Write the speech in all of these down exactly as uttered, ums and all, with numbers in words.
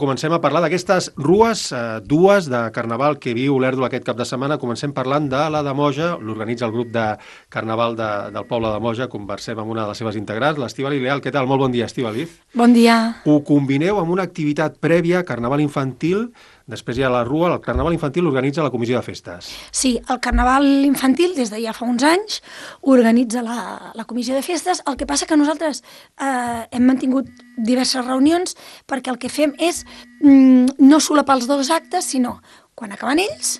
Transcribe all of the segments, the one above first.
Comencem a parlar d'aquestes rues, eh, dues de Carnaval que viu l'Èrdol aquest cap de setmana. Comencem parlant de la de Moja, l'organitza el grup de Carnaval de, del poble de Moja. Conversem amb una de les seves integrants, l'Estíbaliz Leal. Què tal? Molt bon dia, Estíbaliz. Bon dia. Ho combineu amb una activitat prèvia, Carnaval infantil. Després hi ha la rua, el Carnaval infantil l'organitza la Comissió de Festes. Sí, el Carnaval infantil, des de ja fa uns anys, organitza la, la Comissió de Festes. El que passa que nosaltres eh, hem mantingut diverses reunions perquè el que fem és mm, no solapar els dos actes, sinó quan acaben ells,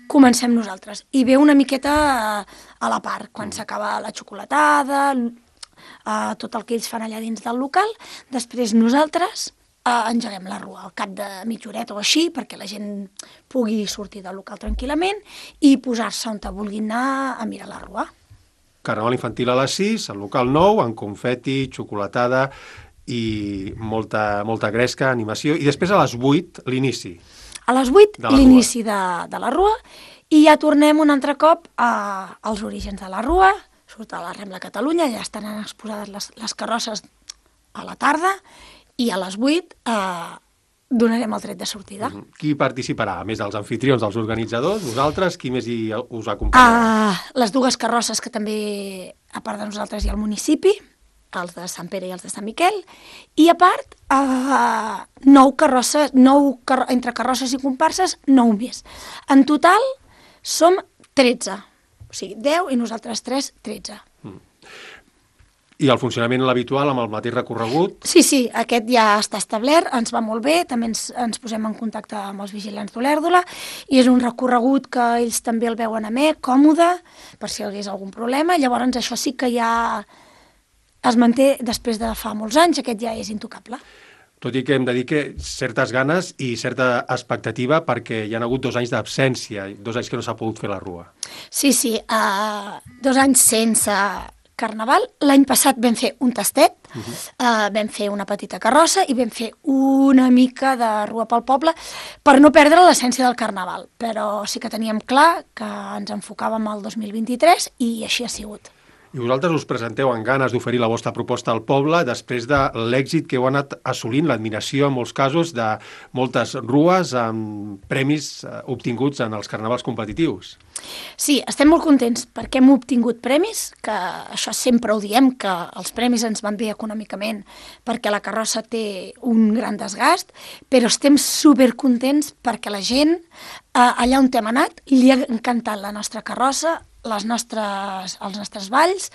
comencem nosaltres. I ve una miqueta a, a la part, quan mm. s'acaba la xocolatada, eh, tot el que ells fan allà dins del local, després nosaltres Uh, engeguem la rua al cap de mitja horeta o així perquè la gent pugui sortir del local tranquil·lament i posar-se on vulguin anar a mirar la rua. Carnaval infantil a les sis, al local nou, amb confeti, xocolatada i molta, molta gresca, animació, i després a les vuit l'inici. A les vuit l'inici de, de la rua i ja tornem un altre cop a, als orígens de la rua, surt a la Rambla Catalunya, ja estan exposades les, les carrosses a la tarda, i a les vuit eh, donarem el tret de sortida. Qui participarà? A més dels anfitrions, dels organitzadors, vosaltres, qui més hi us acompanyarà? Uh, les dues carrosses que també, a part de nosaltres, hi ha el municipi, els de Sant Pere i els de Sant Miquel, i a part, uh, nou carrosses, nou car entre carrosses i comparses, nou més. En total som tretze, o sigui, deu i nosaltres tres, tretze. Mm. I el funcionament l'habitual amb el mateix recorregut? Sí, sí, aquest ja està establert, ens va molt bé, també ens, ens posem en contacte amb els vigilants d'Olèrdola i és un recorregut que ells també el veuen amè, còmode, per si hi hagués algun problema. Llavors això sí que ja es manté després de fa molts anys, aquest ja és intocable. Tot i que hem de dir que certes ganes i certa expectativa perquè hi ha hagut dos anys d'absència, dos anys que no s'ha pogut fer la rua. Sí, sí, uh, dos anys sense Carnaval. L'any passat vam fer un tastet, uh -huh. uh, vam fer una petita carrossa i vam fer una mica de rua pel poble per no perdre l'essència del Carnaval, però sí que teníem clar que ens enfocàvem al dos mil vint-i-tres i així ha sigut. I vosaltres us presenteu amb ganes d'oferir la vostra proposta al poble després de l'èxit que heu anat assolint, l'admiració en molts casos de moltes rues amb premis obtinguts en els carnavals competitius. Sí, estem molt contents perquè hem obtingut premis, que això sempre ho diem, que els premis ens van bé econòmicament perquè la carrossa té un gran desgast, però estem supercontents perquè la gent, allà on hem anat, li ha encantat la nostra carrossa, les nostres, els nostres balls,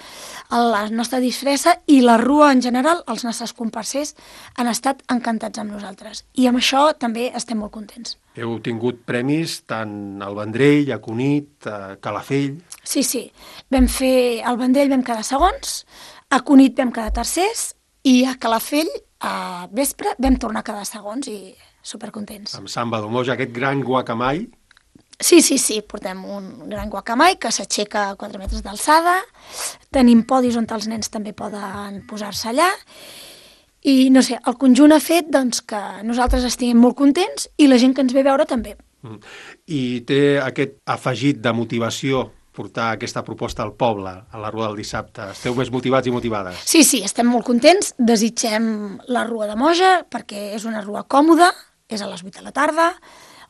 la nostra disfressa i la rua en general, els nostres comparsers han estat encantats amb nosaltres. I amb això també estem molt contents. Heu tingut premis tant al Vendrell, a Cunit, a Calafell... Sí, sí. Vam fer al Vendrell vam quedar segons, a Cunit vam quedar tercers i a Calafell, a vespre, vam tornar a quedar segons i supercontents. Amb Samba d'Omoja, aquest gran guacamai... Sí, sí, sí, portem un gran guacamai que s'aixeca a quatre metres d'alçada, tenim podis on els nens també poden posar-se allà, i no sé, el conjunt ha fet doncs, que nosaltres estiguem molt contents i la gent que ens ve a veure també. Mm. I té aquest afegit de motivació portar aquesta proposta al poble, a la rua del dissabte? Esteu més motivats i motivades? Sí, sí, estem molt contents, desitgem la rua de Moja perquè és una rua còmoda, és a les vuit de la tarda,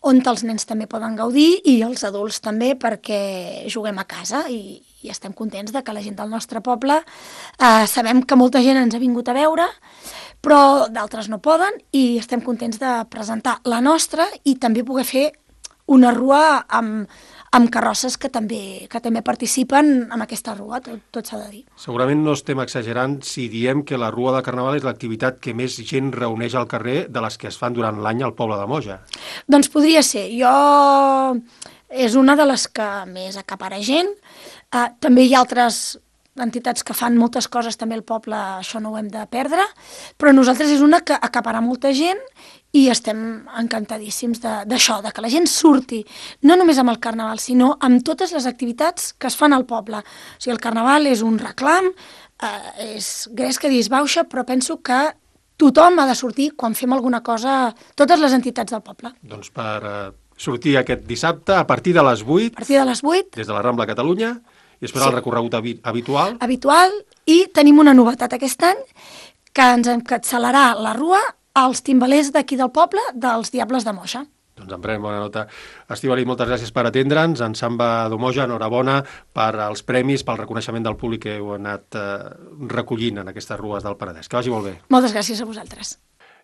on els nens també poden gaudir i els adults també perquè juguem a casa i, i estem contents de que la gent del nostre poble eh, sabem que molta gent ens ha vingut a veure però d'altres no poden i estem contents de presentar la nostra i també poder fer una rua amb, amb carrosses que també, que també participen en aquesta rua, tot, tot s'ha de dir. Segurament no estem exagerant si diem que la rua de Carnaval és l'activitat que més gent reuneix al carrer de les que es fan durant l'any al poble de Moja. Doncs podria ser. Jo és una de les que més acapara gent. Uh, també hi ha altres entitats que fan moltes coses també al poble, això no ho hem de perdre, però nosaltres és una que acapara molta gent i estem encantadíssims d'això, de, de que la gent surti, no només amb el Carnaval, sinó amb totes les activitats que es fan al poble. O sigui, el Carnaval és un reclam, eh, és gresca i disbauxa, però penso que tothom ha de sortir quan fem alguna cosa, totes les entitats del poble. Doncs per uh, sortir aquest dissabte a partir de les vuit, a partir de les vuit, des de la Rambla Catalunya, i després sí. El recorregut habitual. Habitual, i tenim una novetat aquest any, que ens encapçalarà la rua els timbalers d'aquí del poble, dels Diables de Moja. Doncs en prenem bona nota. Estíbaliz, moltes gràcies per atendre'ns. En Samba d'Omoja, enhorabona per als premis, pel reconeixement del públic que heu anat eh, recollint en aquestes rues del Penedès. Que vagi molt bé. Moltes gràcies a vosaltres.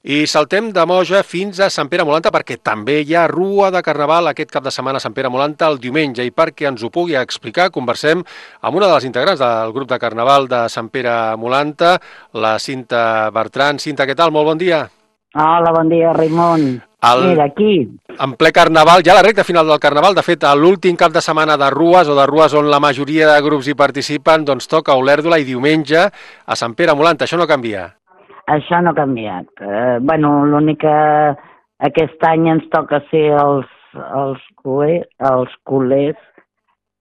I saltem de Moja fins a Sant Pere Molanta, perquè també hi ha rua de Carnaval aquest cap de setmana a Sant Pere Molanta el diumenge, i perquè ens ho pugui explicar conversem amb una de les integrants del grup de Carnaval de Sant Pere Molanta, la Cinta Bertran. Cinta, què tal? Molt bon dia. Hola, bon dia, Raimon. El... Mira, aquí. En ple Carnaval, ja la recta final del Carnaval, de fet, l'últim cap de setmana de rues, o de rues on la majoria de grups hi participen, doncs toca Olèrdola i diumenge a Sant Pere Molanta. Això no canvia? Això no ha canviat. Eh, bueno, l'únic que aquest any ens toca ser els, els, culers, els culers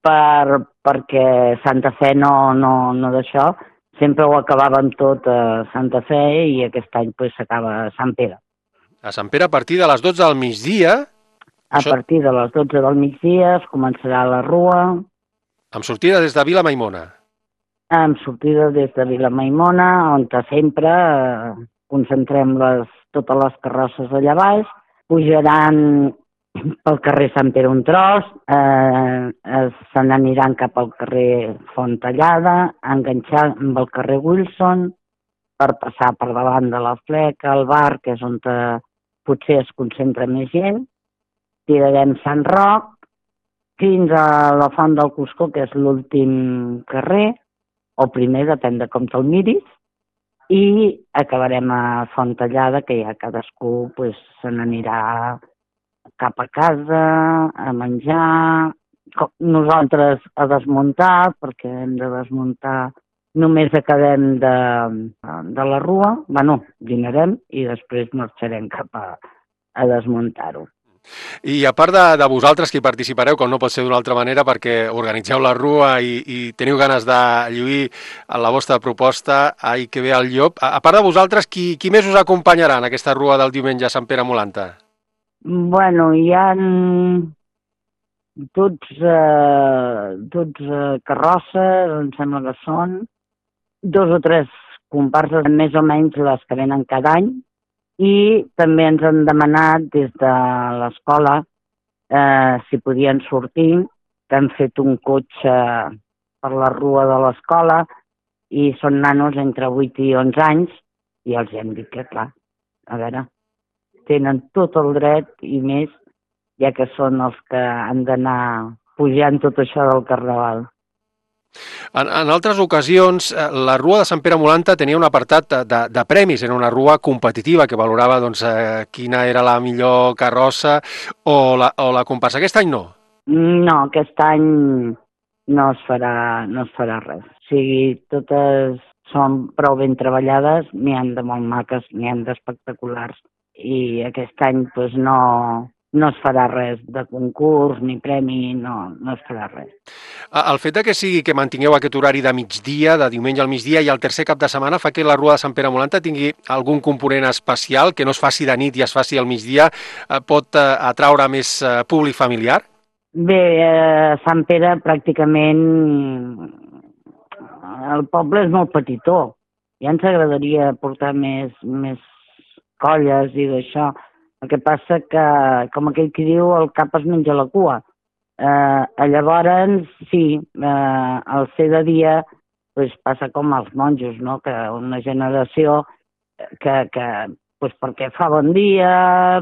per, perquè Santa Fe no, no, no d'això. Sempre ho acabàvem tot a Santa Fe i aquest any pues, s'acaba a Sant Pere. A Sant Pere a partir de les dotze del migdia? A això... partir de les dotze del migdia es començarà la rua. Amb sortida des de Vila Maimona? Amb sortida des de Vila Maimona, on sempre eh, concentrem les, totes les carrosses allà baix, pujaran pel carrer Sant Pere un tros, eh, se n'aniran cap al carrer Font Tallada, enganxant amb el carrer Wilson, per passar per davant de la Fleca, el bar, que és on te, potser es concentra més gent, tirarem Sant Roc, fins a la Font del Cuscó, que és l'últim carrer, o primer, depèn de com te'l miris, i acabarem a Font Tallada, que ja cadascú pues, se n'anirà cap a casa, a menjar, nosaltres a desmuntar, perquè hem de desmuntar, només acabem de, de la rua, bueno, dinarem i després marxarem cap a, a desmuntar-ho. I a part de, de vosaltres que hi participareu, com no pot ser d'una altra manera, perquè organitzeu la rua i, i teniu ganes de lluir la vostra proposta, ai que ve el llop, a, a part de vosaltres, qui, qui més us acompanyarà en aquesta rua del diumenge a Sant Pere Molanta? Bueno, hi ha tots, eh, tots eh, carrosses, em sembla que són, dos o tres comparses, més o menys les que venen cada any, i també ens han demanat des de l'escola eh, si podien sortir, que han fet un cotxe per la rua de l'escola i són nanos entre vuit i onze anys i els hem dit que, clar, a veure, tenen tot el dret i més, ja que són els que han d'anar pujant tot això del Carnaval. En, en altres ocasions, la rua de Sant Pere Molanta tenia un apartat de, de, de premis, era una rua competitiva que valorava doncs, eh, quina era la millor carrossa o la, o la comparsa. Aquest any no? No, aquest any no es farà, no es farà res. O sigui, totes són prou ben treballades, n'hi han de molt maques, n'hi han d'espectaculars. I aquest any doncs, no, no es farà res de concurs ni premi, no, no es farà res. El fet de que sigui que mantingueu aquest horari de migdia, de diumenge al migdia i el tercer cap de setmana fa que la rua de Sant Pere Molanta tingui algun component especial, que no es faci de nit i es faci al migdia, pot atraure més públic familiar? Bé, a Sant Pere pràcticament el poble és molt petitó. Ja ens agradaria portar més, més colles i d'això. El que passa que, com aquell que diu, el cap es menja la cua. Eh, llavors, sí, eh, al ser de dia pues, passa com als monjos, no? Que una generació que, que pues, perquè fa bon dia,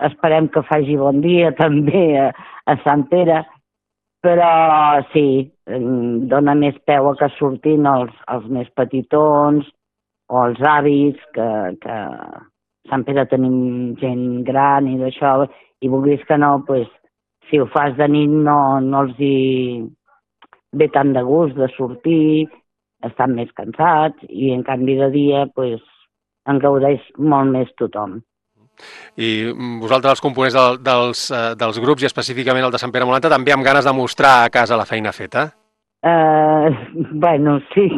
esperem que faci bon dia també a, a Sant Pere, però sí, dona més peu a que surtin els, els més petitons o els avis, que, que a Sant Pere tenim gent gran i d'això, i vulguis que no, pues, si ho fas de nit no, no els hi ve tant de gust de sortir, estan més cansats, i en canvi de dia pues, en gaudeix molt més tothom. I vosaltres, els components del, dels, uh, dels grups, i específicament el de Sant Pere Molanta, també amb ganes de mostrar a casa la feina feta? Uh, bueno, sí.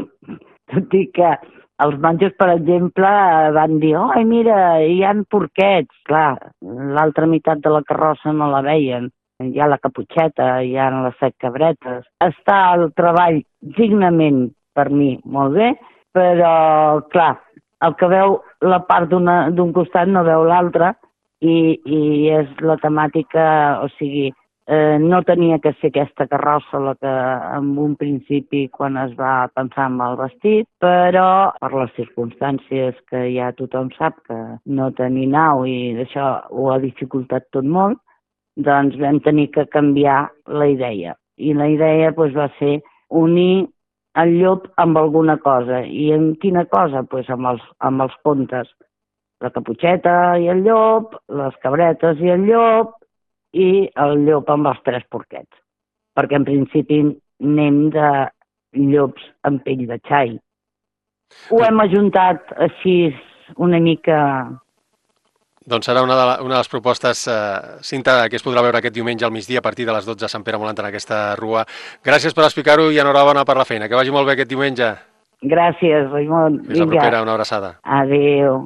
Tot i que els monjos, per exemple, van dir «Ai, mira, hi ha porquets». Clar, l'altra meitat de la carrossa no la veien. Hi ha la caputxeta, hi ha les set cabretes. Està el treball dignament, per mi, molt bé, però, clar, el que veu la part d'un costat no veu l'altre i, i és la temàtica, o sigui, eh, no tenia que ser aquesta carrossa la que en un principi quan es va pensar en el vestit, però per les circumstàncies que ja tothom sap que no tenir nau i això ho ha dificultat tot molt, doncs vam tenir que canviar la idea. I la idea doncs, va ser unir el llop amb alguna cosa. I en quina cosa? Pues amb, els, amb els contes. La caputxeta i el llop, les cabretes i el llop, i el llop amb els tres porquets. Perquè en principi anem de llops amb pell de xai. Ho hem ajuntat així una mica... Doncs serà una de, la, una de les propostes, eh, Cinta, que es podrà veure aquest diumenge al migdia a partir de les dotze a Sant Pere Molant en aquesta rua. Gràcies per explicar-ho i enhorabona per la feina. Que vagi molt bé aquest diumenge. Gràcies, Raimon. Fins la propera, una abraçada. Adéu.